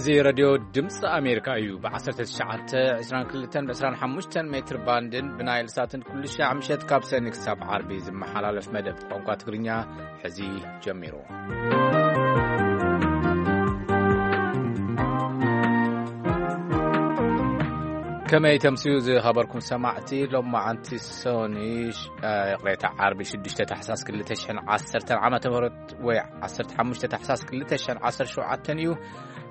እዚ ሬድዮ ድምፂ ኣሜሪካ እዩ። ብ19፣ 22፣ ብ25 ሜትር ባንድን ብናይል ሳትን ኩሉ ሻዕ ምሸት ካብ ሰኒ ክሳብ ዓርቢ ዝመሓላለፍ መደብ ቋንቋ ትግርኛ ሕዚ ጀሚሩ። ከመይ ተምስዩ ዝኸበርኩም ሰማዕቲ? ሎማዓንቲ ሰኒ፣ እ፣ ይቕሬታ፣ ዓርቢ ሽዱሽተ ታሕሳስ ክልተ ሽሕን ዓሰርተን ዓመተ ምህረት ወይ ዓሰርተ ሓሙሽተ ታሕሳስ ክልተ ሽሕን ዓሰርተ ሸውዓተን እዩ።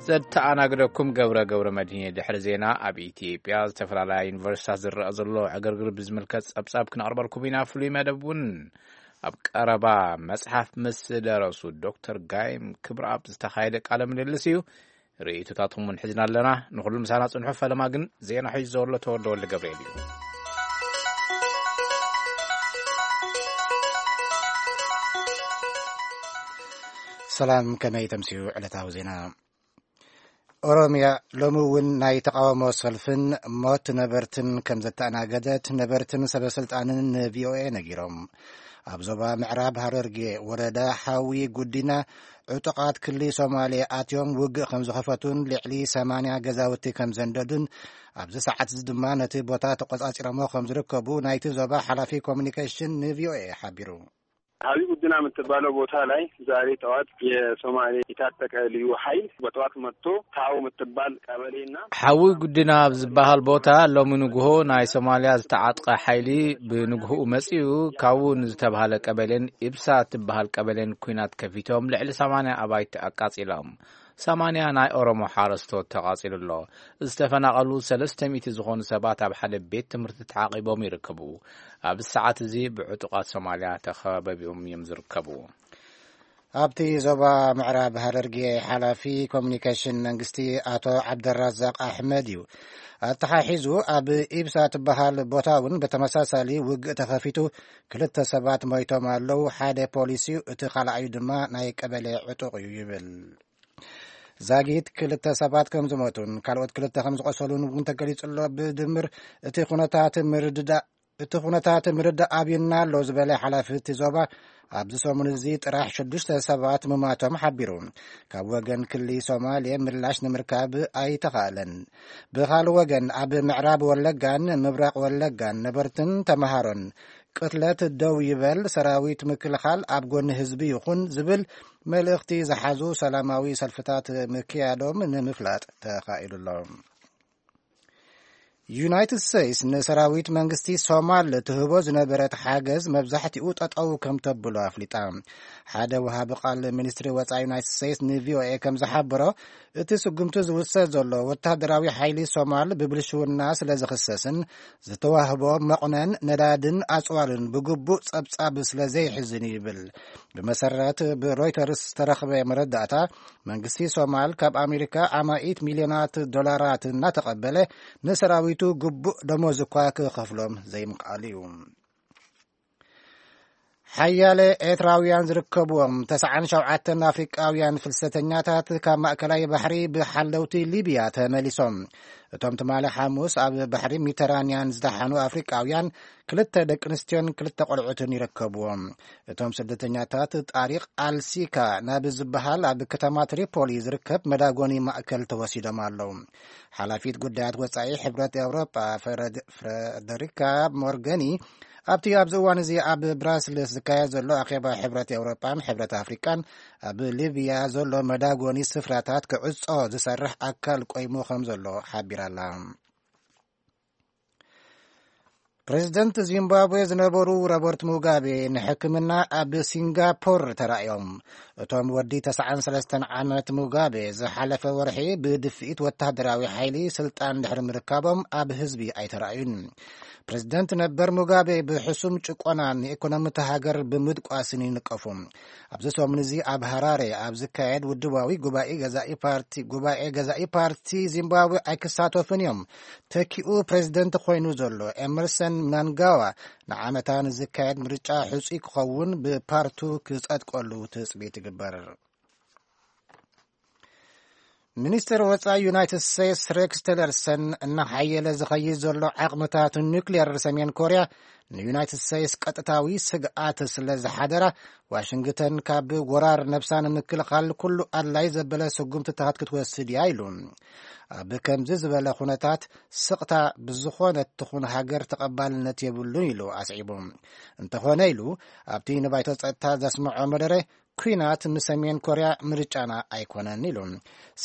ዘተኣናግደኩም ገብረ ገብረ መድህን። ድሕሪ ዜና ኣብ ኢትዮጵያ ዝተፈላለያ ዩኒቨርሲታት ዝረኣ ዘሎ ዕግርግር ብዝምልከት ጸብጻብ ክነቕርበልኩም ኢና። ፍሉይ መደብ እውን ኣብ ቀረባ መጽሓፍ ምስ ደረሱ ዶክተር ጋይም ክብረኣብ ዝተኻየደ ቃለ ምልልስ እዩ። ርእይቶታትኩም እውን ሒዝና ኣለና። ንኹሉ ምሳና ጽንሑ። ፈለማ ግን ዜና ሒዙ ዘሎ ተወልደ ወልደ ገብርኤል እዩ። ሰላም፣ ከመይ ተምስዩ ዕለታዊ ዜና? ኦሮምያ ሎሚ እውን ናይ ተቓውሞ ሰልፍን ሞት ነበርትን ከም ዘተኣናገደት ነበርትን ሰበ ስልጣንን ንቪኦኤ ነጊሮም። ኣብ ዞባ ምዕራብ ሃረርጌ ወረዳ ሓዊ ጉዲና ዕጡቓት ክሊ ሶማሌ ኣትዮም ውግእ ከም ዝኸፈቱን ልዕሊ ሰማንያ ገዛውቲ ከም ዘንደዱን ኣብዚ ሰዓት እዚ ድማ ነቲ ቦታ ተቆጻጺሮሞ ከም ዝርከቡ ናይቲ ዞባ ሓላፊ ኮሚኒኬሽን ንቪኦኤ ሓቢሩ። ሀዊ ጉድና የምትባለው ቦታ ላይ ዛሬ ጠዋት የሶማሌ የታጠቀ ልዩ ኃይል በጠዋት መጥቶ ታው የምትባል ቀበሌና ሓዊ ጉድና ኣብ ዝበሃል ቦታ ሎሚ ንግሆ ናይ ሶማልያ ዝተዓጥቀ ሓይሊ ብንግሆኡ መጺኡ፣ ካዉ ንዝተባሃለ ቀበሌን ኢብሳ እትበሃል ቀበሌን ኲናት ከፊቶም ልዕሊ ሰማንያ ኣባይቲ ኣቃጺሎም። ሰማንያ ናይ ኦሮሞ ሓረስቶት ተቓጺሉ ኣሎ። ዝተፈናቐሉ ሰለስተ ሚእቲ ዝኾኑ ሰባት ኣብ ሓደ ቤት ትምህርቲ ተዓቒቦም ይርከቡ። ኣብዚ ሰዓት እዚ ብዕጡቓት ሶማልያ ተኸበቢቦም እዮም ዝርከቡ። ኣብቲ ዞባ ምዕራብ ሃረርጌ ሓላፊ ኮሚኒኬሽን መንግስቲ ኣቶ ዓብደራዛቅ ኣሕመድ እዩ። ኣተሓሒዙ ኣብ ኢብሳ ትበሃል ቦታ እውን ብተመሳሳሊ ውግእ ተኸፊቱ ክልተ ሰባት ሞይቶም ኣለዉ። ሓደ ፖሊስ እዩ፣ እቲ ካልኣዩ ድማ ናይ ቀበሌ ዕጡቕ እዩ ይብል። ዛጊት ክልተ ሰባት ከም ዝሞቱን ካልኦት ክልተ ከም ዝቆሰሉን እውን ተገሊጹ ኣሎ። ብድምር እቲ ኩነታት ምርድዳእ፣ እቲ ኩነታት ምርዳእ ኣብዩና ኣሎ ዝበለ ሓላፊ እቲ ዞባ፣ ኣብዚ ሰሙን እዚ ጥራሕ ሽዱሽተ ሰባት ምማቶም ሓቢሩ። ካብ ወገን ክሊ ሶማሌ ምላሽ ንምርካብ ኣይተኻእለን። ብኻልእ ወገን ኣብ ምዕራብ ወለጋን ምብራቕ ወለጋን ነበርትን ተመሃሮን ቅትለት ደው ይበል፣ ሰራዊት ምክልኻል ኣብ ጎኒ ህዝቢ ይኹን ዝብል መልእኽቲ ዝሓዙ ሰላማዊ ሰልፍታት ምክያዶም ንምፍላጥ ተኻኢሉ ኣሎ። ዩናይትድ ስቴትስ ንሰራዊት መንግስቲ ሶማል ትህቦ ዝነበረት ሓገዝ መብዛሕትኡ ጠጠው ከም ተብሎ ኣፍሊጣ። ሓደ ወሃቢ ቃል ሚኒስትሪ ወጻኢ ዩናይትድ ስቴትስ ንቪኦኤ ከም ዝሓበሮ፣ እቲ ስጉምቲ ዝውሰድ ዘሎ ወታደራዊ ሓይሊ ሶማል ብብልሽውና ስለ ዝኽሰስን ዝተዋህቦ መቑነን ነዳድን ኣጽዋርን ብግቡእ ጸብጻብ ስለ ዘይሕዝን እዩ ይብል። ብመሰረት ብሮይተርስ ዝተረኽበ መረዳእታ፣ መንግስቲ ሶማል ካብ ኣሜሪካ ኣማኢት ሚልዮናት ዶላራት እናተቐበለ ንሰራዊቱ ግቡእ ደሞዝ እኳ ክኸፍሎም ዘይምኽኣሉ እዩ። ሓያለ ኤርትራውያን ዝርከብዎም ተስዓን ሸውዓተን ኣፍሪቃውያን ፍልሰተኛታት ካብ ማእከላይ ባሕሪ ብሓለውቲ ሊብያ ተመሊሶም። እቶም ትማሊ ሓሙስ ኣብ ባሕሪ ሜዲተራንያን ዝደሓኑ ኣፍሪቃውያን ክልተ ደቂ ኣንስትዮን ክልተ ቆልዑትን ይርከብዎም። እቶም ስደተኛታት ጣሪቕ ኣልሲካ ናብ ዝበሃል ኣብ ከተማ ትሪፖሊ ዝርከብ መዳጎኒ ማእከል ተወሲዶም ኣለዉ። ሓላፊት ጉዳያት ወጻኢ ሕብረት ኤውሮጳ ፍረድ-፣ ፍረደሪካ ሞርገኒ ኣብቲ ኣብዚ እዋን እዚ ኣብ ብራስልስ ዝካየድ ዘሎ ኣኼባ ሕብረት ኤውሮጳን ሕብረት ኣፍሪቃን ኣብ ሊብያ ዘሎ መዳጎኒ ስፍራታት ክዕጾ ዝሰርሕ ኣካል ቆይሙ ከም ዘሎ ሓቢራ'ላ። ፕሬዚደንት ዚምባብዌ ዝነበሩ ሮበርት ሙጋቤ ንሕክምና ኣብ ሲንጋፖር ተራእዮም። እቶም ወዲ ተስዓን ሰለስተን ዓመት ሙጋቤ ዝሓለፈ ወርሒ ብድፍኢት ወታደራዊ ሓይሊ ስልጣን ድሕሪ ምርካቦም ኣብ ህዝቢ ኣይተራእዩን። ፕሬዚደንት ነበር ሙጋቤ ብሕሱም ጭቆናን ንኢኮኖሚ እታ ሃገር ብምድቋስን ይንቀፉ። ኣብዚ ሰሙን እዚ ኣብ ሃራሬ ኣብ ዝካየድ ውድባዊ ጉባኤ ገዛኢ ፓርቲ፣ ጉባኤ ገዛኢ ፓርቲ ዚምባብዌ ኣይክሳተፉን እዮም። ተኪኡ ፕሬዚደንት ኮይኑ ዘሎ ኤመርሰን ምናንጋዋ ንዓመታ ንዝካየድ ምርጫ ሕጹይ ክኸውን ብፓርቱ ክጸድቀሉ ትጽቢት ይግበር። ሚኒስትር ወጻኢ ዩናይትድ ስቴትስ ሬክስ ቲለርሰን፣ እናሓየለ ዝኸይድ ዘሎ ዓቕምታት ኑክሌር ሰሜን ኮርያ ንዩናይትድ ስቴትስ ቀጥታዊ ስግኣት ስለ ዝሓደራ፣ ዋሽንግተን ካብ ወራር ነብሳ ንምክልኻል ኩሉ ኣድላይ ዘበለ ስጉምትታት ክትወስድ እያ ኢሉ። ኣብ ከምዚ ዝበለ ኩነታት፣ ስቕታ ብዝኾነት ትኹን ሃገር ተቐባልነት የብሉን ኢሉ ኣስዒቡ። እንተኾነ ኢሉ፣ ኣብቲ ንባይቶ ጸጥታ ዘስምዖ መደረ፣ ኲናት ንሰሜን ኮርያ ምርጫና ኣይኮነን ኢሉ።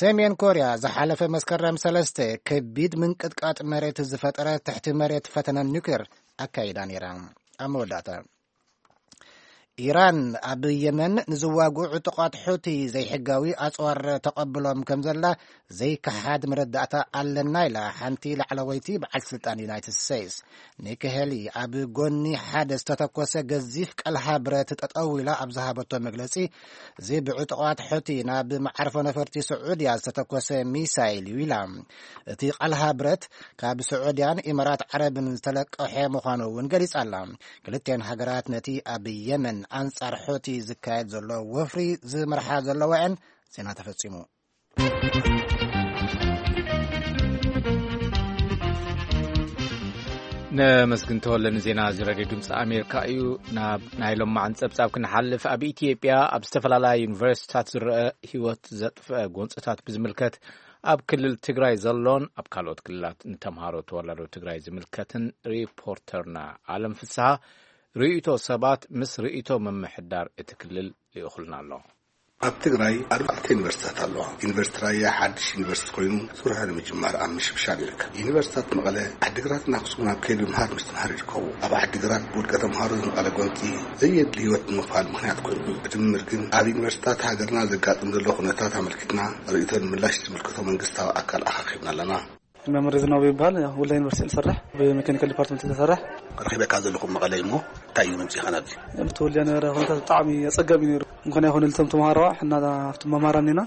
ሰሜን ኮርያ ዝሓለፈ መስከረም ሰለስተ ከቢድ ምንቅጥቃጥ መሬት ዝፈጠረ ትሕቲ መሬት ፈተነ ኒውክሌር ኣካይዳ ነይራ። ኣብ መወዳእታ፣ ኢራን ኣብ የመን ንዝዋግኡ ዕጡቓት ሑቲ ዘይሕጋዊ ኣጽዋር ተቐብሎም ከም ዘላ ዘይከሓድ መረዳእታ ኣለና ኢላ ሓንቲ ላዕለወይቲ በዓል ስልጣን ዩናይትድ ስቴትስ። ኒኪ ሄሊ ኣብ ጎኒ ሓደ ዝተተኮሰ ገዚፍ ቀልሃ ብረት ጠጠው ኢላ ኣብ ዝሃበቶ መግለጺ፣ እዚ ብዕጡቓት ሑቲ ናብ መዓርፎ ነፈርቲ ስዑድያ ዝተተኮሰ ሚሳይል እዩ ኢላ። እቲ ቀልሃ ብረት ካብ ስዑድያን ኢማራት ዓረብን ዝተለቀሐ ምዃኑ እውን ገሊጻ ኣላ። ክልቲኣን ሃገራት ነቲ ኣብ የመን ኣንጻር ሑቲ ዝካየድ ዘሎ ወፍሪ ዝመርሓ ዘለዋ እየን። ዜና ተፈጺሙ። ነመስግን ተወለ ንዜና እዚ ሬድዮ ድምፂ ኣሜሪካ እዩ። ናብ ናይ ሎማዓን ጸብጻብ ክንሓልፍ፣ ኣብ ኢትዮጵያ ኣብ ዝተፈላለያ ዩኒቨርሲቲታት ዝረአ ህይወት ዘጥፍአ ጎንፅታት ብዝምልከት ኣብ ክልል ትግራይ ዘሎን ኣብ ካልኦት ክልላት ንተምሃሮ ተወላዶ ትግራይ ዝምልከትን ሪፖርተርና ኣለም ፍስሃ ርእይቶ ሰባት ምስ ርእይቶ ምምሕዳር እቲ ክልል ልኢኹልና ኣሎ። ኣብ ትግራይ ኣርባዕተ ዩኒቨርሲታት ኣለዋ። ዩኒቨርሲቲ ራያ ሓድሽ ዩኒቨርሲቲ ኮይኑ ስርሑ ንምጅማር ኣብ ምሽብሻብ ይርከብ። ዩኒቨርሲታት መቐለ፣ ዓዲግራትን ኣክሱምን ኣብ ከይዲ ምምሃር ምስትምሃር ይርከቡ። ኣብ ዓዲግራት ብውልቀ ተምሃሮ ዝመቐለ ጎንፂ ዘየድሊ ህይወት ንምኽፋል ምኽንያት ኮይኑ፣ ብድምር ግን ኣብ ዩኒቨርሲታት ሃገርና ዘጋጥም ዘሎ ኩነታት ኣመልኪትና ርእይቶ ንምላሽ ዝምልከቶ መንግስታዊ ኣካል ኣኻኺብና ኣለና። መምህር ዝናቡ ይበሃል። ያው ወልዲያ ዩኒቨርሲቲ ዝሰርሕ፣ ብሜካኒካል ዲፓርትመንት ዝሰርሕ። ረኺበካ ዘለኹ መቐለ እሞ እንታይ እዩ መምፅኢኻ ናብዚ? እቲ ወልዲያ ነበረ ኩነታት ብጣዕሚ ኣጸጋሚ ነይሩ። እንኳን ኣይኮነ ልቶም ተምሃሮ፣ ሕና ኣብቲ መማራን ኢና።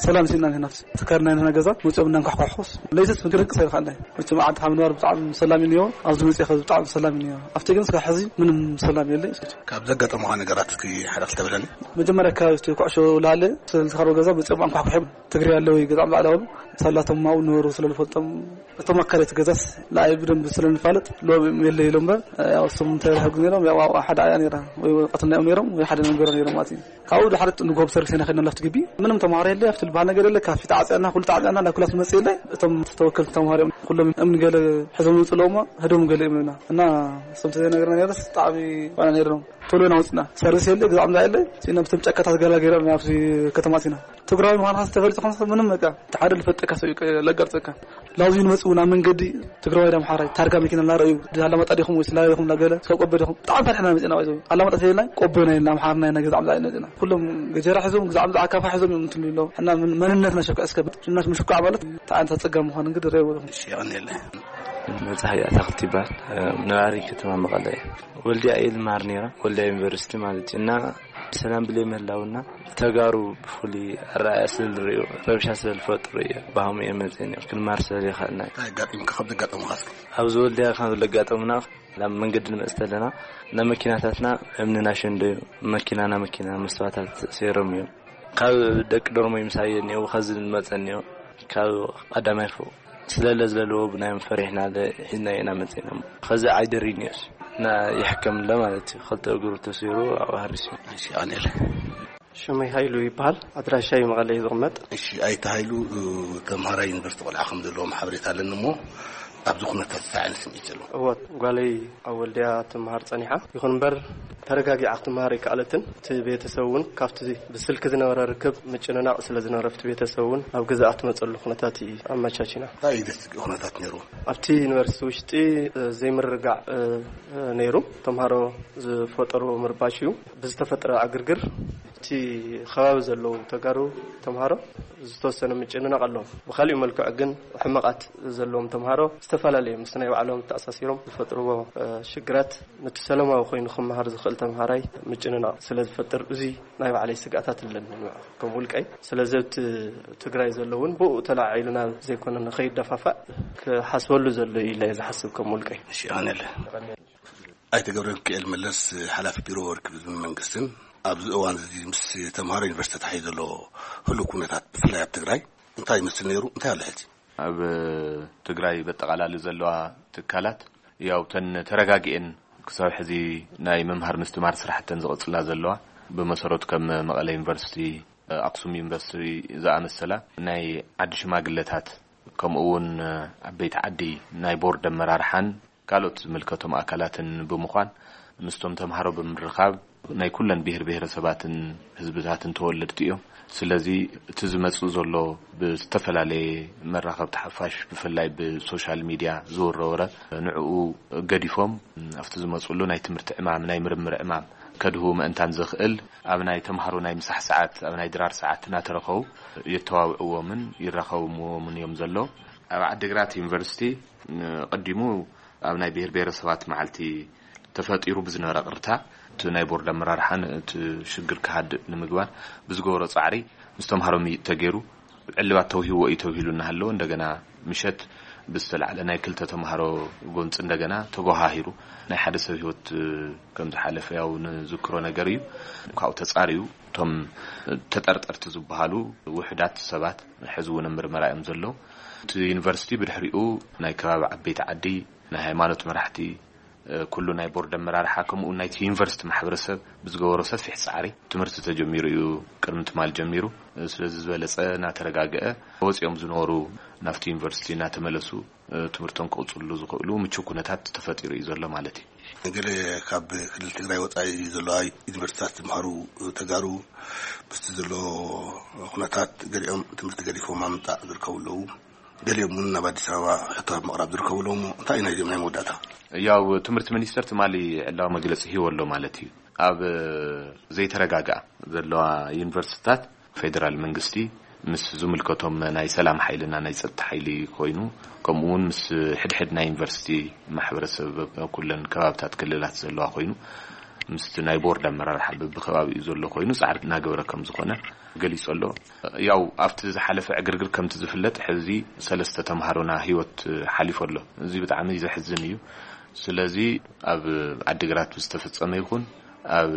ሰላም ሲና ኢና ናብቲ ትካል ናይ ንሕና ገዛ መፅኦም እናንኳሕኳሕኩስ ለይትስ ምግርንቅስ ኣይልካ ኣለይ። መቸም ዓዲ ካብ ንባር ብጣዕሚ ሰላም እዩ ነይሩ። ኣብዚ መፅእ ከዚ ብጣዕሚ ሰላም እዩ ነይሩ። ኣብቲ ግን እስካብ ሕዚ ምንም ሰላም የለይ። ካብ ዘጋጠሙኻ ነገራት እስኪ ሓደ ክልተ በለኒ። መጀመርያ ኣካባቢ እቲ ኩዕሾ ላለ ስለዝተኸረው ገዛ መፅኦም ኣንኳሕኩሖም ትግሬ ኣለዉ ገዛ ባዕላዎም ሳላቶም ኣብኡ ነበሩ ስለ ዝፈልጦም እቶም ኣካላት ገዛስ ንኣይ ብደንብ ስለ ንፋለጥ ሎም የለ ኢሎም እምበር ያው እሶም እንታይ ይረሕጉ ነይሮም ያው ኣብኣ ሓደ ኣያ ነይራ ወይ ወረቀትና እዮም ነይሮም ወይ ሓደ መንበሮ ነይሮም ማለት እዩ። ካብኡ ድሓር ንጎብ ሰርቪስ ኢና ከድና ላፍቲ ግቢ ምንም ተምሃሮ የለ ኣብቲ ዝበሃል ነገር የለ ካፊ ተዓፅያና ኩሉ ተዓፅያና ናብ ክላስ መፅእ የለ እቶም ተወከልቲ ተምሃሮ እዮም ኩሎም እምኒ ገለ ሕዞም ይውፅእ ኣለዎ እሞ ህዶም ገለ እዮም እና እሶም ተዘይነገርና ነይረስ ብጣዕሚ ዋና ነይሮም ቶሎ ኢና ወፅና ሰርቪስ የለ ግዛዕ ምዛ የለ ሲና ብቶም ጫካታት ገላ ገይሮም ናብቲ ከተማ ሲና ትግራዊ ምዃንካ ዝተፈልጠ ኾንካ ምንም በቃ እቲ ሓደ ልፈልጠካ ሰብ እዩ ለጋርፀካ ላውዚ ንመፅኡ ናብ መንገዲ ትግራዋይ ዳ ኣምሓራይ ታርጋ መኪና እናረኣዩ ኣላማጣ ዲኹም ወይ ስላሌ ዲኹም እናገለ እስካብ ቆቦ ዲኹም ብጣዕሚ ፈሪሕና መፅና ይዘው ኣላማጣ ተይልና ቆቦ ናይ ኣምሓርና ናይ ገዛ ምዛ መፅና ኩሎም ገጀራ ሒዞም ግዛዕ ምዛ ኣካፋ ሒዞም እዮም እንትሉ ኣለዉ እና መንነትና ሸኩ እስከ ሽናሽ ምሽኳዕ ማለት ተዓንታ ፀጋ ምዃን እንግዲህ ረእዎ ዲኹም እሺ ይቐንየለ መፅሓ ኣታክልቲ ይበሃል ነባሪ ከተማ መቐለ እየ ወልዲያ እየ ዝመሃር ነይረ ወልዲያ ዩኒቨርሲቲ ማለት እዩ እና ብሰላም ብለይ ምህላውና ተጋሩ ብፍሉይ ኣረኣያ ስለዝርእዩ ረብሻ ስለዝፈጥሩ እየ ባህሙ እየ መፅእን እዮም ክንማር ስለዘይኽእልና እዩ ኣጋጢምካ ካብ ዘጋጠሙኻ እስኪ ኣብዚ ወልድያ ካብ ለጋጠሙና ናብ መንገዲ ንመፅእ ተለና ናብ መኪናታትና እምኒ ናሸንዶ እዩ መኪናና መኪና መስተዋታት ሰይሮም እዮም ካብ ደቂ ዶርሞ ይምሳየ እኒኦ ከዚ ዝመፀ እኒኦ ካብ ቀዳማይ ፎቅ ስለለ ዝለለዎ ብናዮም ፈሪሕና ሒዝናዮ ኢና መፂና ከዚ ዓይደር እኒኦስ እና ይሕከም ኣሎ ማለት እዩ ክልተ እግሩ ተሲሩ ኣብኡ ሃሪሱ እዩ ቀኒለ ሽመይ ሃይሉ ይበሃል ኣድራሻይ መቐለ እዩ ዝቕመጥ እሺ ኣይተ ሃይሉ ተምሃራይ ዩኒቨርስቲ ቆልዓ ከም ዘለዎም ሓበሬታ ኣለኒ እሞ ኣብዚ ኩነታት እንታይ ዓይነት ስምዒት ዘለዎ እወ ጓለይ ኣብ ወልድያ ትምሃር ጸኒሓ ይኹን እምበር ተረጋጊዓ ክትምሃር ኣይከኣለትን እቲ ቤተሰብ እውን ካብቲ ብስልኪ ዝነበረ ርክብ ምጭንናቕ ስለ ዝነበረ ኣብቲ ቤተሰብ እውን ናብ ገዛኣ ትመፀሉ ኩነታት እዩ ኣመቻቺና እንታይ እዩ ዘስግእ ኩነታት ነይሩ ኣብቲ ዩኒቨርሲቲ ውሽጢ ዘይምርግጋዕ ነይሩ ተምሃሮ ዝፈጠርዎ ምርባሽ እዩ ብዝተፈጠረ ዕግርግር እቲ ከባቢ ዘለዉ ተጋሩ ተምሃሮ ዝተወሰነ ምጭንናቕ ኣለዎም ብካሊኡ መልክዑ ግን ሕመቓት ዘለዎም ተምሃሮ ዝተፈላለዩ ምስ ናይ ባዕሎም ተኣሳሲሮም ዝፈጥርዎ ሽግራት ነቲ ሰለማዊ ኮይኑ ክመሃር ዝኽእል ተምሃራይ ምጭንናቕ ስለ ዝፈጥር እዚ ናይ ባዕለይ ስግኣታት ኣለኒ ከም ውልቀይ ስለዚ ኣብቲ ትግራይ ዘሎ እውን ብኡ ተላዒሉ ናብ ዘይኮነ ንኸይደፋፋእ ክሓስበሉ ዘሎ እዩ ኢለ ዝሓስብ ከም ውልቀይ ሽኣነለ ኣይተ ገብረሚካኤል መለስ ሓላፊ ቢሮ ወርቂ ህዝብን መንግስትን ኣብዚ እዋን እዚ ምስ ተምሃሮ ዩኒቨርሲቲ ተታሒዙ ዘሎ ህሉው ኩነታት ብፍላይ ኣብ ትግራይ እንታይ ይመስል ነይሩ? እንታይ ኣሎ ሕጂ? ኣብ ትግራይ በጠቓላሊ ዘለዋ ትካላት ያው ተን ተረጋጊኤን ክሳብ ሕዚ ናይ ምምሃር ምስትማር ስራሕተን ዝቕጽላ ዘለዋ፣ ብመሰረቱ ከም መቐለ ዩኒቨርሲቲ፣ ኣክሱም ዩኒቨርሲቲ ዝኣመሰላ ናይ ዓዲ ሽማግለታት፣ ከምኡ እውን ዓበይቲ ዓዲ ናይ ቦርድ ኣመራርሓን ካልኦት ዝምልከቶም ኣካላትን ብምዃን ምስቶም ተምሃሮ ብምርኻብ፣ ናይ ኩለን ብሄር ብሄረሰባትን ህዝብታትን ተወለድቲ እዮም። ስለዚ እቲ ዝመጽእ ዘሎ ብዝተፈላለየ መራኸብቲ ሓፋሽ፣ ብፍላይ ብሶሻል ሚድያ ዝውረ ወረ፣ ንዕኡ ገዲፎም ኣብቲ ዝመጽሉ ናይ ትምህርቲ ዕማም፣ ናይ ምርምር ዕማም ከድህቡ ምእንታን ዘኽእል፣ ኣብ ናይ ተምሃሮ ናይ ምሳሕ ሰዓት፣ ኣብ ናይ ድራር ሰዓት እናተረኸቡ የተዋውዕዎምን ይራኸብዎምን እዮም ዘለዉ። ኣብ ዓዲግራት ዩኒቨርሲቲ፣ ቀዲሙ ኣብ ናይ ብሄር ብሄረሰባት መዓልቲ ተፈጢሩ ብዝነበረ ቅርታ፣ እቲ ናይ ቦርድ ኣመራርሓን እቲ ሽግር ክሃድእ ንምግባር ብዝገበሮ ጻዕሪ፣ ምስ ተምሃሮ ምይጥ ተገይሩ፣ ዕልባት ተውሂብዎ እዩ ተብሂሉ እናሃለወ፣ እንደገና ምሸት ብዝተላዕለ ናይ ክልተ ተምሃሮ ጎንፂ እንደገና ተጎሃሂሩ ናይ ሓደ ሰብ ህይወት ከም ዝሓለፈ ያው ንዝክሮ ነገር እዩ። ካብኡ ተጻርዩ እቶም ተጠርጠርቲ ዝበሃሉ ውሑዳት ሰባት ሕዚ እውን ኣብ ምርመራ እዮም ዘለዉ። እቲ ዩኒቨርሲቲ ብድሕሪኡ ናይ ከባቢ ዓበይቲ ዓዲ፣ ናይ ሃይማኖት መራሕቲ፣ ኩሉ ናይ ቦርድ ኣመራርሓ፣ ከምኡ እውን ናይቲ ዩኒቨርሲቲ ማሕበረሰብ ብዝገበሮ ሰፊሕ ጻዕሪ ትምህርቲ ተጀሚሩ እዩ። ቅድሚ ትማል ጀሚሩ፣ ስለዚ ዝበለጸ እናተረጋግአ፣ ወጺኦም ዝነበሩ ናብቲ ዩኒቨርሲቲ እናተመለሱ ትምህርቶም ክቕጽሉ ዝኽእሉ ምቹው ኩነታት ተፈጢሩ እዩ ዘሎ ማለት እዩ። ገለ ካብ ክልል ትግራይ ወጻኢ ዘለዋ ዩኒቨርሲቲታት ዝመሃሩ ተጋሩ ምስቲ ዘሎ ኩነታት ገሊኦም ትምህርቲ ገዲፎም ኣብ ምምጻእ ዝርከቡ ኣለዉ። ገሊኦም እውን ናብ ኣዲስ ኣበባ ሕቶ ኣብ ምቕራብ ዝርከቡ ኣለዉ። እሞ እንታይ እዩ ናይዚኦም ናይ መወዳእታ? ያው ትምህርቲ ሚኒስቴር ትማሊ ዕላዊ መግለጺ ሂቡ ኣሎ ማለት እዩ። ኣብ ዘይተረጋግኣ ዘለዋ ዩኒቨርሲቲታት ፌደራል መንግስቲ ምስ ዝምልከቶም ናይ ሰላም ሓይልና ናይ ጸጥታ ሓይሊ ኮይኑ፣ ከምኡ እውን ምስ ሕድሕድ ናይ ዩኒቨርሲቲ ማሕበረሰብ ኩለን ከባብታት ክልላት ዘለዋ ኮይኑ፣ ምስቲ ናይ ቦርድ ኣመራርሓ በብከባቢኡ ዘሎ ኮይኑ ጻዕሪ እናገበረ ከም ዝኾነ ገሊጹ ኣሎ። ያው ኣብቲ ዝሓለፈ ዕግርግር ከምቲ ዝፍለጥ ሕዚ ሰለስተ ተምሃሮና ህይወት ሓሊፉ ኣሎ። እዚ ብጣዕሚ ዘሕዝን እዩ። ስለዚ ኣብ ዓዲግራት ዝተፈጸመ ይኹን ኣብ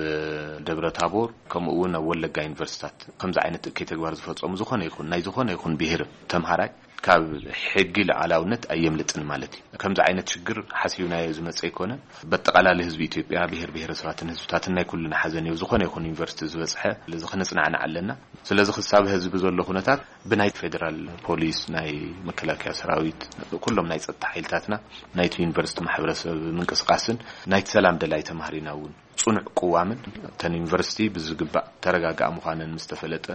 ደብረ ታቦር ከምኡ እውን ኣብ ወለጋ ዩኒቨርሲታት ከምዚ ዓይነት እከይ ተግባር ዝፈጸሙ ዝኾነ ይኹን ናይ ዝኾነ ይኹን ብሄር ተምሃራይ ካብ ሕጊ ሉዓላውነት ኣየምልጥን ማለት እዩ። ከምዚ ዓይነት ሽግር ሓሲብናዮ ዝመጸ ኣይኮነ። በጠቓላሊ ህዝቢ ኢትዮጵያ፣ ብሄር ብሄረሰባትን ህዝብታትን ናይ ኩልና ሓዘን እዩ። ዝኾነ ይኹን ዩኒቨርሲቲ ዝበጽሐ፣ ስለዚ ክነጽናዕናዕ ኣለና። ስለዚ ክሳብ ህዝቢ ዘሎ ኩነታት ብናይ ፌደራል ፖሊስ፣ ናይ መከላከያ ሰራዊት፣ ኩሎም ናይ ጸጥታ ሓይልታትና፣ ናይቲ ዩኒቨርሲቲ ማሕበረሰብ ምንቅስቃስን ናይቲ ሰላም ደላይ ተማሃሪና እውን ጽኑዕ ቅዋምን፣ እተን ዩኒቨርሲቲ ብዝግባእ ተረጋግኣ ምዃነን ምስ ተፈለጠ፣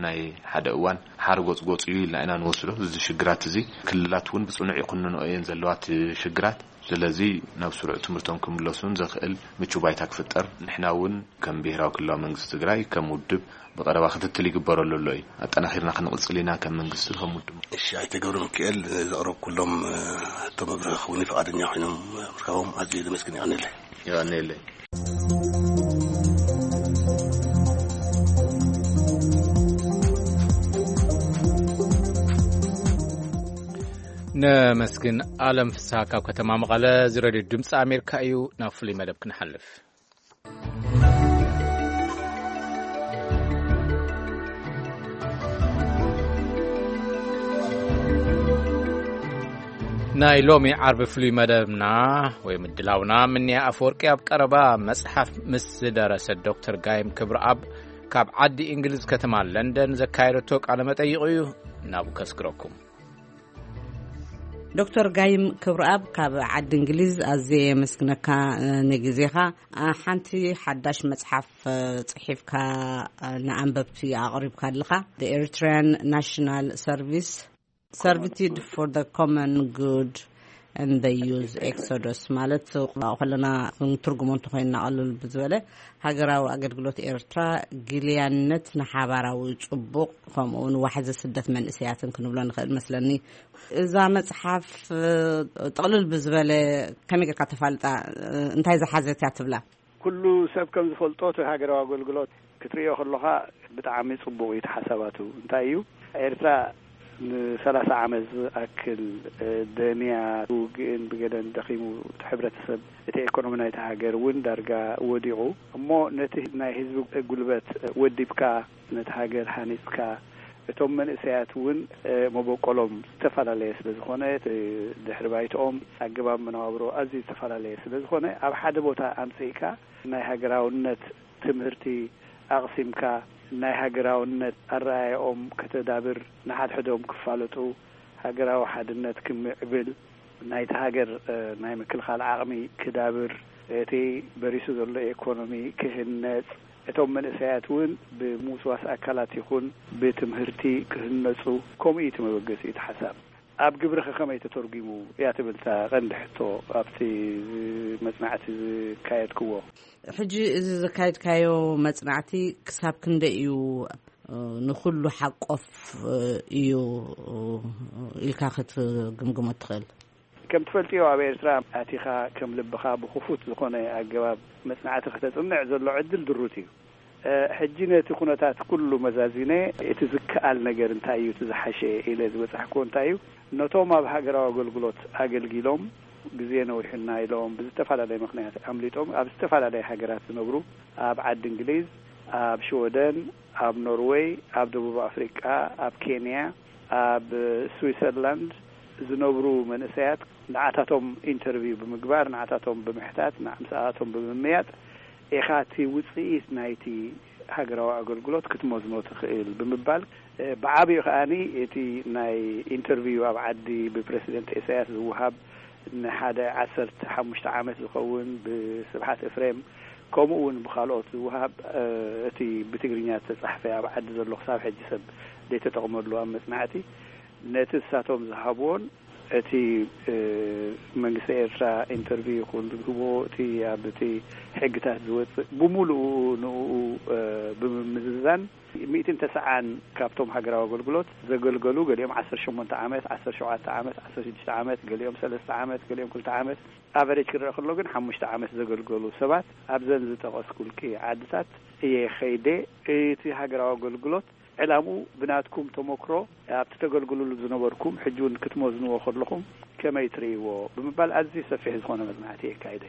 ናይ ሓደ እዋን ሓርጎጽ ጎጽ እዩ ኢልና ኢና ንወስዶ። እዚ ሽግራት እዚ ክልላት እውን ብጽኑዕ ይኹንንኦ እየን ዘለዋ እቲ ሽግራት። ስለዚ ናብ ስሩዕ ትምህርቶም ክምለሱን ዘኽእል ምቹ ባይታ ክፍጠር፣ ንሕና እውን ከም ብሄራዊ ክልላዊ መንግስቲ ትግራይ ከም ውድብ ብቐረባ ክትትል ይግበረሉ ኣሎ እዩ። ኣጠናኺርና ክንቕጽል ኢና ከም መንግስቲ ከም ውድብ። እሺ፣ ኣይተ ገብረ ሚካኤል፣ ዘቕረብኩሎም፣ እ፣ ሕቶ መብርሂ ክህቡኒ ፍቓደኛ ኮይኖም ምርካቦም ኣዝየ ዘመስግን። የቐንየለይ። የቐንየለይ። ነመስግን። ኣለም ፍስሃ ካብ ከተማ መቐለ፣ እዚ ሬድዮ ድምፂ ኣሜሪካ እዩ። ናብ ፍሉይ መደብ ክንሓልፍ። ናይ ሎሚ ዓርቢ ፍሉይ መደብና ወይ ምድላውና፣ ምንያ ኣፈወርቂ ኣብ ቀረባ መጽሓፍ ምስ ዝደረሰ ዶክተር ጋይም ክብረኣብ ካብ ዓዲ እንግሊዝ ከተማ ለንደን ዘካየደቶ ቃለ መጠይቕ እዩ። ናብኡ ከስግረኩም። ዶክተር ጋይም ክብረኣብ ካብ ዓዲ እንግሊዝ ኣዝየ የመስግነካ፣ እ፣ ንግዜኻ። እ፣ ሓንቲ ሓዳሽ መጽሓፍ፣ እ፣ ጽሒፍካ፣ እ፣ ንኣንበብቲ ኣቕሪብካ ኣለኻ። The Eritrean National Service, Servitude for the Common Good and the Youth Exodus ማለት ከለና ክንትርጉሞ እንተኾይንና ቀልል ብዝበለ ሃገራዊ ኣገልግሎት ኤርትራ፣ ግልያነት ንሓባራዊ ጽቡቕ፣ ከምኡ እውን ዋሕዚ ስደት መንእሰያትን ክንብሎ ንኽእል መስለኒ። እዛ መጽሓፍ፣ እ፣ ጥቕልል ብዝበለ ከመይ ጌርካ ተፋልጣ? እ፣ እንታይ ዝሓዘት እያ ትብላ? ኩሉ ሰብ ከም ዝፈልጦ እቲ ሃገራዊ ኣገልግሎት ክትርእዮ ከለኻ ብጣዕሚ ጽቡቕ እዩ። እቲ ሓሳባቱ እንታይ እዩ? ኤርትራ ንሰላሳ ዓመት ዝኣክል፣ እ፣ ደንያ፣ ውግእን ብገለን ደኺሙ፣ እቲ ሕብረተሰብ፣ እቲ ኤኮኖሚ ናይቲ ሃገር እውን ዳርጋ ወዲቑ። እሞ ነቲ ናይ ህዝቢ ጉልበት ወዲብካ፣ ነቲ ሃገር ሃኒጽካ፣ እቶም መንእሰያት እውን መበቆሎም ዝተፈላለየ ስለ ዝኾነ፣ ድሕሪ ባይትኦም ኣገባብ መነባብሮ ኣዝዩ ዝተፈላለየ ስለ ዝኾነ፣ ኣብ ሓደ ቦታ ኣምፅእካ ናይ ሃገራውነት ትምህርቲ ኣቕሲምካ፣ ናይ ሃገራውነት ኣረኣያኦም ከተዳብር፣ ንሓድሕዶም ክፋለጡ፣ ሃገራዊ ሓድነት ክምዕብል፣ ናይቲ ሃገር ናይ ምክልኻል ዓቕሚ ክዳብር፣ እቲ በሪሱ ዘሎ ኢኮኖሚ ክህነፅ፣ እቶም መንእሰያት እውን ብምውስዋስ ኣካላት ይኹን ብትምህርቲ ክህነፁ፣ ከምኡ እዩ እቲ መበገሲኡ፣ እቲ ሓሳብ። ኣብ ግብርኸ ከመይ ተተርጒሙ እያ ትብል እታ ቀንዲ ሕቶ ኣብቲ መጽናዕቲ ዝካየድክዎ። ሕጂ እዚ ዘካየድካዮ መጽናዕቲ ክሳብ ክንደይ እዩ ንኹሉ ሓቆፍ እዩ ኢልካ ክትግምግሞ ትኽእል? ከም ትፈልጥዮ፣ ኣብ ኤርትራ ኣቲኻ ከም ልብኻ ብኽፉት ዝኾነ ኣገባብ መጽናዕቲ ክተጽንዕ ዘሎ ዕድል ድሩት እዩ። ሕጂ ነቲ ኩነታት ኩሉ መዛዚነ፣ እቲ ዝከኣል ነገር እንታይ እዩ፣ እቲ ዝሓሸ ኢለ ዝበጻሕክዎ እንታይ እዩ፣ ነቶም ኣብ ሃገራዊ ኣገልግሎት ኣገልጊሎም፣ ግዜ ነዊሑና ኢሎም ብዝተፈላለየ ምኽንያት ኣምሊጦም ኣብ ዝተፈላለየ ሃገራት ዝነብሩ፣ ኣብ ዓዲ እንግሊዝ፣ ኣብ ሽወደን፣ ኣብ ኖርወይ፣ ኣብ ደቡብ ኣፍሪቃ፣ ኣብ ኬንያ፣ ኣብ ስዊሰርላንድ ዝነብሩ መንእሰያት፣ ንዓታቶም ኢንተርቪው ብምግባር፣ ንዓታቶም ብምሕታት፣ ንዓ-፣ ምስኣቶም ብምምያጥ ኢኻ እቲ ውጽኢት ናይቲ ሃገራዊ ኣገልግሎት ክትመዝኖ ትኽእል ብምባል፣ ብዓቢኡ ከኣኒ እቲ ናይ ኢንተርቪው ኣብ ዓዲ ብፕረሲደንት ኢሳያስ ዝወሃብ ንሓደ ዓሰርተ ሓሙሽተ ዓመት ዝኸውን ብስብሓት ኤፍሬም፣ ከምኡ እውን ብኻልኦት ዝወሃብ፣ እቲ ብትግርኛ ዝተጻሕፈ ኣብ ዓዲ ዘሎ ክሳብ ሕጂ ሰብ ዘይተጠቕመሉ ኣብ መጽናዕቲ፣ ነቲ እሳቶም ዝሃብዎን እቲ መንግስቲ ኤርትራ ኢንተርቪው ይኹን ዝህቦ፣ እቲ ኣብ እቲ ሕግታት ዝወጽእ፣ ብምሉኡ ንኡ ብምምዝዛን፣ ሚእትን ተስዓን ካብቶም ሃገራዊ ኣገልግሎት ዘገልገሉ፣ ገሊኦም ዓሰርተ ሸሞንተ ዓመት፣ ዓሰርተ ሸውዓተ ዓመት፣ ዓሰርተ ሽዱሽተ ዓመት፣ ገሊኦም ሰለስተ ዓመት፣ ገሊኦም ክልተ ዓመት፣ ኣቨሬጅ ክረአ ከሎ ግን ሓሙሽተ ዓመት ዘገልገሉ ሰባት ኣብዘን ዝጠቐስኩልኪ ዓድታት እየ ኸይደ። እቲ ሃገራዊ ኣገልግሎት ዕላምኡ ብናትኩም ተመክሮ፣ ኣብቲ ተገልግሉሉ ዝነበርኩም፣ ሕጂ እውን ክትመዝንዎ ከለኹም ከመይ ትርእይዎ ብምባል ኣዝዩ ሰፊሕ ዝኾነ መጽናዕቲ የካይደ።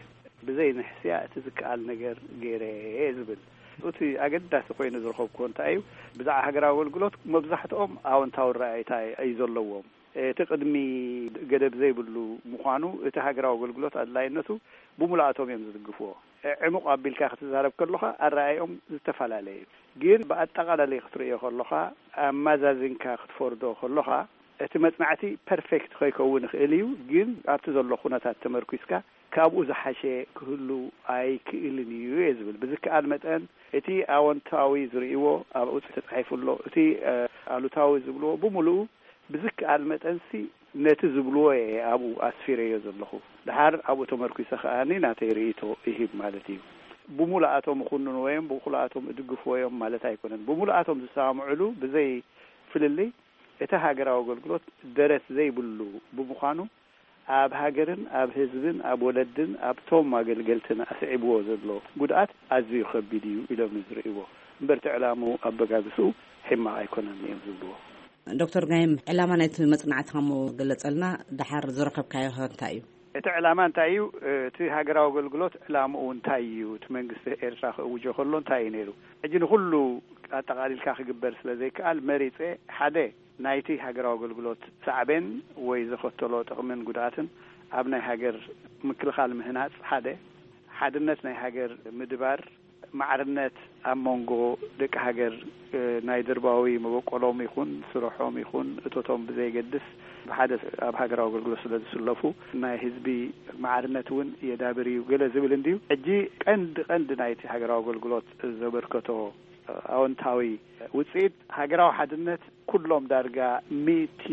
ብዘይ ንሕስያ እቲ ዝከኣል ነገር ገይረ እየ ዝብል። እቲ ኣገዳሲ ኮይኑ ዝረኸብኩዎ እንታይ እዩ? ብዛዕባ ሃገራዊ ኣገልግሎት መብዛሕትኦም ኣወንታዊ ረኣይታ እዩ ዘለዎም። እቲ ቅድሚ ገደብ ዘይብሉ ምዃኑ፣ እቲ ሃገራዊ ኣገልግሎት ኣድላይነቱ ብምሉኣቶም እዮም ዝድግፍዎ። ዕሙቕ ኣቢልካ ክትዛረብ ከለኻ ኣረኣእዮም ዝተፈላለየ እዩ። ግን ብኣጠቓላሊ ክትርእዮ ከለኻ፣ ኣማዛዚንካ ክትፈርዶ ከለኻ፣ እቲ መጽናዕቲ ፐርፌክት ከይከውን ይኽእል እዩ፣ ግን ኣብቲ ዘሎ ኩነታት ተመርኲስካ ካብኡ ዝሓሸ ክህሉ ኣይክእልን እዩ እየ ዝብል። ብዝከኣል መጠን እቲ ኣወንታዊ ዝርእይዎ ኣብኡ ተጻሒፉ ኣሎ፣ እቲ ኣሉታዊ ዝብልዎ ብምሉኡ ብዝከኣል መጠንሲ ነቲ ዝብልዎ እየ ኣብኡ ኣስፊረዮ ዘለኹ። ድሓር ኣብኡ ተመርኲሰ ከኣኒ ናተይ ርእይቶ ይህብ ማለት እዩ። ብሙሉኣቶም እኹንንዎ እዮም፣ ብሙሉኣቶም እድግፍዎ እዮም ማለት ኣይኮነን። ብሙሉኣቶም ዝሰማምዕሉ ብዘይ ፍልልይ እቲ ሃገራዊ ኣገልግሎት ደረት ዘይብሉ ብምዃኑ፣ ኣብ ሃገርን ኣብ ህዝብን ኣብ ወለድን ኣብቶም ኣገልገልትን ኣስዒብዎ ዘሎ ጉድኣት ኣዝዩ ከቢድ እዩ ኢሎም ዝርእይዎ። እምበር እቲ ዕላምኡ ኣበጋግስኡ ሕማቕ ኣይኮነን እዮም ዝብልዎ። ዶክተር ጋይም፣ ዕላማ ናይቲ መጽናዕትኻ እሞ ገለጸልና፣ ደሓር ዝረኸብካዮ ኸ እንታይ እዩ? እቲ ዕላማ እንታይ እዩ? እቲ ሃገራዊ ኣገልግሎት ዕላምኡ እንታይ እዩ? እቲ መንግስቲ ኤርትራ ክእውጆ ከሎ እንታይ እዩ ነይሩ? ሕጂ ንኹሉ ኣጠቓሊልካ ክግበር ስለ ዘይከኣል መሪጸ ሓደ ናይቲ ሃገራዊ ኣገልግሎት ሳዕቤን ወይ ዘኸተሎ ጥቕምን ጉድኣትን ኣብ ናይ ሃገር ምክልኻል ምህናጽ ሓደ፣ ሓድነት ናይ ሃገር ምድባር፣ ማዕርነት ኣብ መንጎ ደቂ ሃገር፣ እ፣ ናይ ደርባዊ መበቆሎም ይኹን ስርሖም ይኹን እቶቶም ብዘየገድስ ብሓደ ኣብ ሃገራዊ ኣገልግሎት ስለ ዝስለፉ ናይ ህዝቢ ማዕርነት እውን የዳብር እዩ ገለ ዝብል እንድዩ። ሕጂ ቀንዲ ቀንዲ ናይቲ ሃገራዊ ኣገልግሎት ዘበርከቶ ኣወንታዊ ውጽኢት ሃገራዊ ሓድነት ኩሎም ዳርጋ ሚእቲ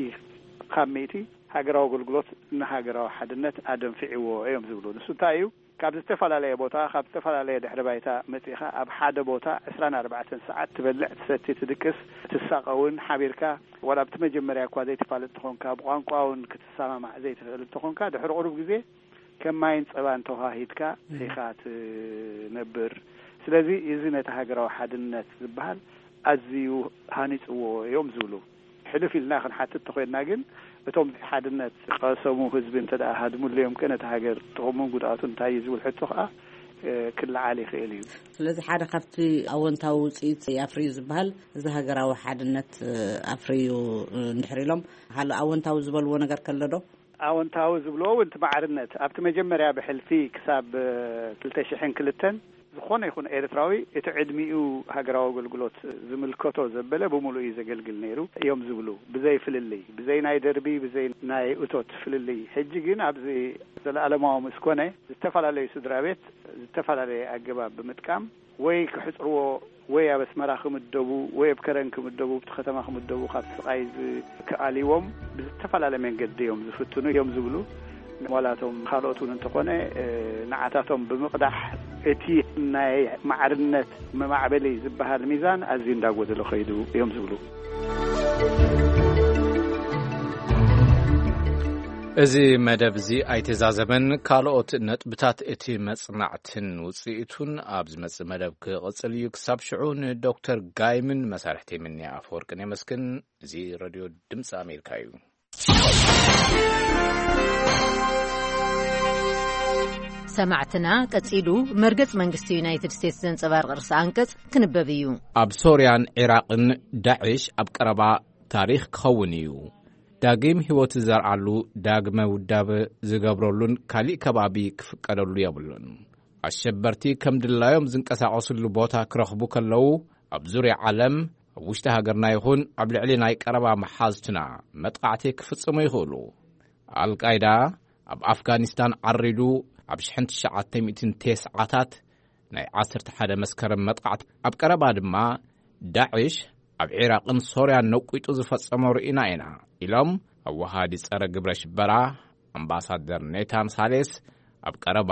ካብ ሚእቲ ሃገራዊ ኣገልግሎት ንሃገራዊ ሓድነት ኣደንፊዕዎ እዮም ዝብሉ። ንሱ እንታይ እዩ? ካብ ዝተፈላለየ ቦታ፣ ካብ ዝተፈላለየ ድሕሪ ባይታ መጺኻ ኣብ ሓደ ቦታ ዕስራን ኣርባዕተን ሰዓት ትበልዕ፣ ትሰቲ፣ ትድቅስ፣ ትሳቐውን ሓቢርካ፣ ዋላ ኣብቲ መጀመርያ እኳ ዘይትፋለጥ ተኾንካ፣ ብቋንቋ እውን ክትሰማማዕ ዘይትኽእል እንተኾንካ፣ ድሕሪ ቁሩብ ግዜ ከም ማይን ጸባን ተዋሃሂድካ እህ። ኢኻ ትነብር። ስለዚ እዚ ነቲ ሃገራዊ ሓድነት ዝበሃል ኣዝዩ ሃኒጽዎ እዮም ዝብሉ። ሕልፍ ኢልና ክንሓትት ተኾይንና ግን፣ እቶም ሓድነት ቀሰሙ ህዝቢ እንተ ደኣ ሃድሙለዮም ከ ነቲ ሃገር ጥቕሙን ጉድኣቱን እንታይ እዩ ዝብል ሕቶ ከኣ እ፣ ክለዓል ይኽእል እዩ። ስለዚ ሓደ ካብቲ ኣወንታዊ ውፅኢት ኣፍርዩ ዝበሃል እዚ ሃገራዊ ሓድነት፣ እ፣ ኣፍርዩ፣ እ፣ እንድሕር ኢሎም፣ ሃለ ኣወንታዊ ዝበልዎ ነገር ከሎ ዶ? ኣወንታዊ ዝብልዎ እውን እቲ ማዕርነት ኣብቲ መጀመርያ ብሕልፊ ክሳብ፣ እ፣ ክልተ ሽሕን ክልተን ዝኾነ ይኹን ኤርትራዊ እቲ ዕድሚኡ ሃገራዊ ኣገልግሎት ዝምልከቶ ዘበለ ብምሉእ እዩ ዘገልግል ነይሩ እዮም ዝብሉ። ብዘይ ፍልልይ፣ ብዘይ ናይ ደርቢ፣ ብዘይ ናይ እቶት ፍልልይ። ሕጂ ግን ኣብዚ ዘለኣለማዊ ምስ ኮነ፣ ዝተፈላለዩ ስድራ ቤት ዝተፈላለየ ኣገባብ ብምጥቃም ወይ ክሕጽርዎ ወይ ኣብ ኣስመራ ክምደቡ ወይ ኣብ ከረን ክምደቡ፣ ኣብቲ ከተማ ክምደቡ፣ ካብ ስቓይ ዝከኣልዎም ብዝተፈላለየ መንገዲ እዮም ዝፍትኑ እዮም ዝብሉ። ዋላቶም ካልኦት እውን እንተኾነ፣ እ፣ ንዓታቶም ብምቕዳሕ እቲ ናይ ማዕርነት መማዕበሊ ዝበሃል ሚዛን ኣዝዩ እንዳጎደሎ ከይዱ እዮም ዝብሉ። እዚ መደብ እዚ ኣይተዛዘመን። ካልኦት ነጥብታት እቲ መጽናዕትን ውጽኢቱን ኣብ ዝመጽእ መደብ ክቕጽል እዩ። ክሳብ ሽዑ ንዶክተር ጋይምን መሳርሕቲ ምንያ ኣፈወርቅን የመስግን። እዚ ሬድዮ ድምፂ ኣሜሪካ እዩ። ሰማዕትና፣ ቀጺሉ መርገጽ መንግስቲ ዩናይትድ ስቴትስ ዘንጸባርቕ ርእሰ ኣንቀጽ ክንበብ እዩ። ኣብ ሶርያን ዒራቕን ዳዕሽ ኣብ ቀረባ ታሪኽ ክኸውን እዩ። ዳግም ህይወት ዝዘርኣሉ፣ ዳግመ ውዳበ ዝገብረሉን ካሊእ ከባቢ ክፍቀደሉ የብሉን። ኣሸበርቲ ከም ድላዮም ዝንቀሳቐስሉ ቦታ ክረኽቡ ከለዉ፣ ኣብ ዙርያ ዓለም፣ ኣብ ውሽጢ ሃገርና ይኹን ኣብ ልዕሊ ናይ ቀረባ መሓዝትና መጥቃዕቲ ክፍጽሙ ይኽእሉ። ኣልቃይዳ ኣብ ኣፍጋኒስታን ዓሪዱ ኣብ ሽሕን ትሽዓተ ሚእትን ተስዓታት ናይ ዓሰርተ ሓደ መስከረም መጥቃዕቲ፣ ኣብ ቀረባ ድማ ዳዕሽ ኣብ ዒራቕን ሶርያን ነቂጡ ዝፈጸሞ ርኢና ኢና ኢሎም ኣወሃዲ ጸረ ግብረ ሽበራ ኣምባሳደር ኔታን ሳሌስ ኣብ ቀረባ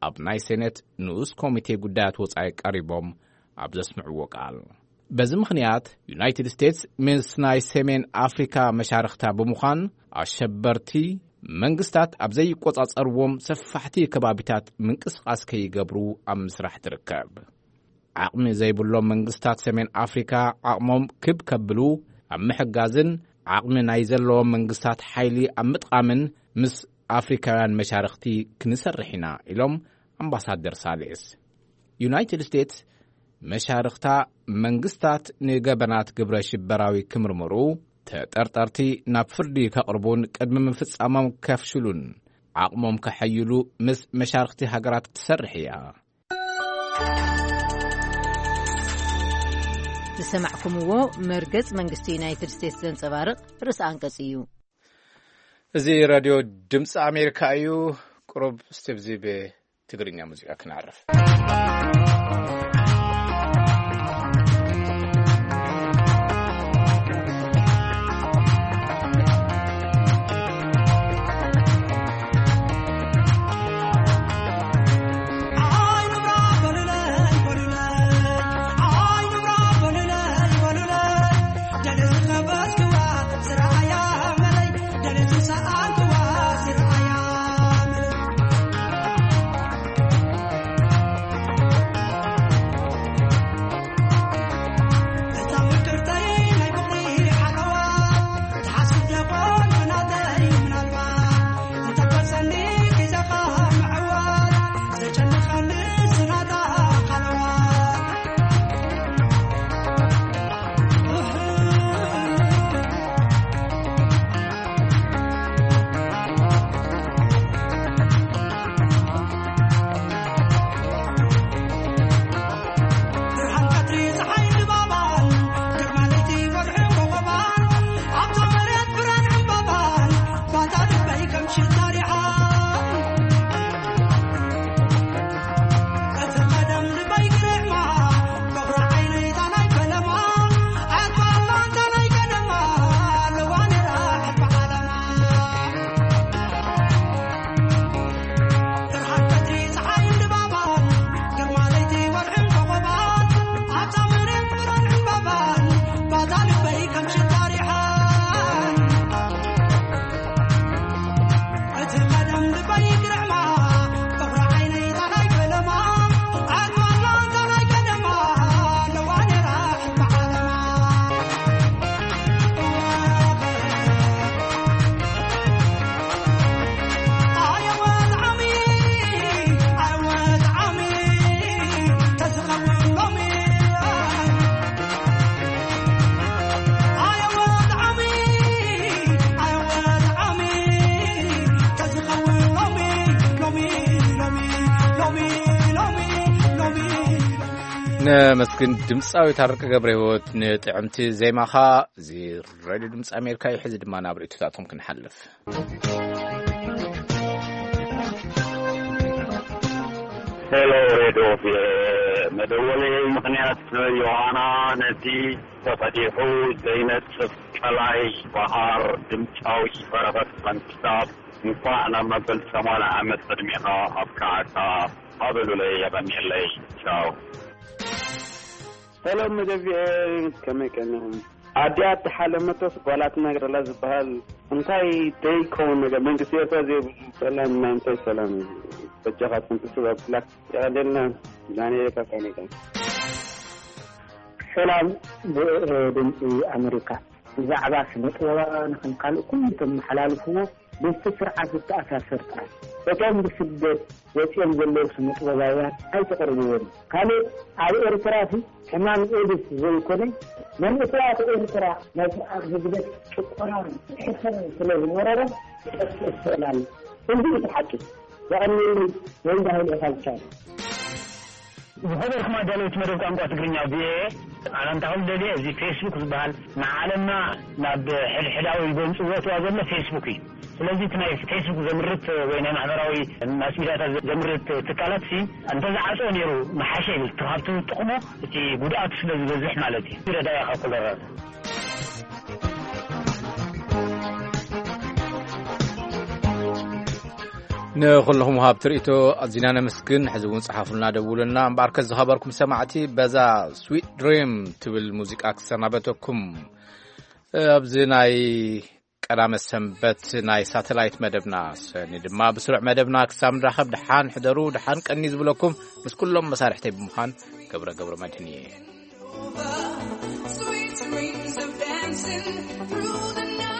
ኣብ ናይ ሴኔት ንኡስ ኮሚቴ ጉዳያት ወጻኢ ቀሪቦም ኣብ ዘስምዕዎ ቃል። በዚ ምኽንያት ዩናይትድ ስቴትስ ምስ ናይ ሰሜን ኣፍሪካ መሻርኽታ ብምዃን ኣሸበርቲ መንግስታት ኣብ ዘይቆጻጸርዎም ሰፋሕቲ ከባቢታት ምንቅስቓስ ከይገብሩ ኣብ ምስራሕ ትርከብ። ዓቕሚ ዘይብሎም መንግስታት ሰሜን ኣፍሪካ ዓቕሞም ክብ ከብሉ ኣብ ምሕጋዝን ዓቕሚ ናይ ዘለዎም መንግስታት ሓይሊ ኣብ ምጥቓምን ምስ ኣፍሪካውያን መሻርኽቲ ክንሰርሕ ኢና ኢሎም ኣምባሳደር ሳሌስ። ዩናይትድ ስቴትስ መሻርኽታ መንግስታት ንገበናት ግብረ ሽበራዊ ክምርምሩ፣ ተጠርጠርቲ ናብ ፍርዲ ከቕርቡን ቅድሚ ምፍጻሞም ከፍሽሉን ዓቕሞም ከሐይሉ ምስ መሻርኽቲ ሃገራት ትሰርሕ እያ። ዝሰማዕኩምዎ መርገጽ መንግስቲ ዩናይትድ ስቴትስ ዘንጸባርቕ ርእሰ ኣንቀጽ እዩ። እዚ ራድዮ ድምፂ ኣሜሪካ እዩ። ቁሩብ እስቲ ብዚ ብትግርኛ ሙዚቃ ክነዕርፍ። ነመስግን ድምፃዊ ታረቀ ገብረ ህይወት ንጥዕምቲ ዜማኻ። እዚ ሬድዮ ድምፂ ኣሜሪካ እዩ። ሕዚ ድማ ናብ ርእይቶታትኩም ክንሓልፍ። ሄሎ ሬድዮ፣ መደወሊ ምኽንያት ዮሃና ነቲ ተፈቲሑ ዘይነጽፍ ቀላይ በሃር ድምፃዊ በረኸት መንግስታብ እንኳዕ ናብ መበል ሰማንያ ዓመት ዕድሜኻ ኣብቅዓካ ኣበሉለይ። የቐንየለይ። ቻው። ሰላም መደብ ቪኦኤ፣ ከመይ ቀኒኹም? ኣዲኣ እተሓለመቶስ ጓላ ትናገር ኣላ ዝበሃል እንታይ ደይከውን ነገር መንግስቲ ኤርትራ ዘይብሉ ሰላም ናይ እንታይ ሰላም እዩ? በጃኻትኩም ትስብ ኣብላ የቐደልና። ዳንኤል ካብ ካናዳ። ሰላም ቪኦኤ ድምፂ ኣሜሪካ፣ ብዛዕባ ስነ ጥበባውያን ከም ካልእ ኩሉ ተመሓላልፍዎ ምስቲ ስርዓት ዝተኣሳሰር ጥራይ። እቶም ብስደት ወፂኦም ዘለዉ ስነ ጥበባውያን ኣይተቕርብዎም። ካልእ ኣብ ኤርትራ ሲ ሕማም ኤድስ ዘይኮነ መንእሰያት ኤርትራ ናይ ስርዓት ህግደፍ ጭቆናን ሕሰምን ስለ ዝመረሮም ክጠፍእ ይኽእል ኣሎ። እዚ እቲ ሓቂ። የቐንየለይ። ወልደ ሃይለ ካብ ቻይና። ዝኸበርኩም ኣዳለውቲ መደብ ቋንቋ ትግርኛ ቪኦኤ፣ ኣነ እንታኹም ደልየ እዚ ፌስቡክ ዝበሃል ንዓለምና ናብ ሕድሕዳዊ ጎንፂ ዘእትዋ ዘሎ ፌስቡክ እዩ። ስለዚ እቲ ናይ ፌስቡክ ዘምርት ወይ ናይ ማሕበራዊ ማስ ሚዲያታት ዘምርት ትካላት ሲ እንተዝዓፅኦ ነይሩ ምሓሸ ይብል። እቲ ካብቲ ጥቕሙ እቲ ጉድኣቱ ስለ ዝበዝሕ ማለት እዩ። ረዳኢ ካብ ኮሎራዶ። ንኹልኹም ወሃብቲ ርእይቶ ኣዚና ነመስግን። ሕዚ እውን ጸሓፉልና፣ ደውሉልና። እምበኣርከስ ዝኸበርኩም ሰማዕቲ፣ በዛ ስዊት ድሪም ትብል ሙዚቃ ክሰናበተኩም። ኣብዚ ናይ ቀዳመ ሰንበት ናይ ሳተላይት መደብና ሰኒ ድማ ብስሩዕ መደብና ክሳብ ንራኸብ ደሓን ሕደሩ፣ ደሓን ቀኒ ዝብለኩም ምስ ኩሎም መሳርሕተይ ብምዃን ገብረ ገብረ መድህን እየ። Sweet dreams of dancing through the night.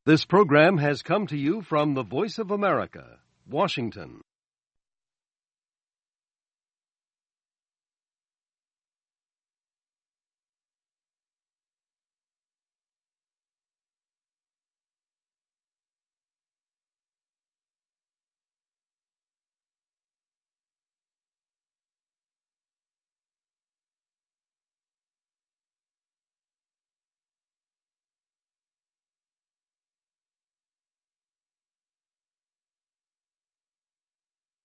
This program has come to you from the Voice of America, Washington.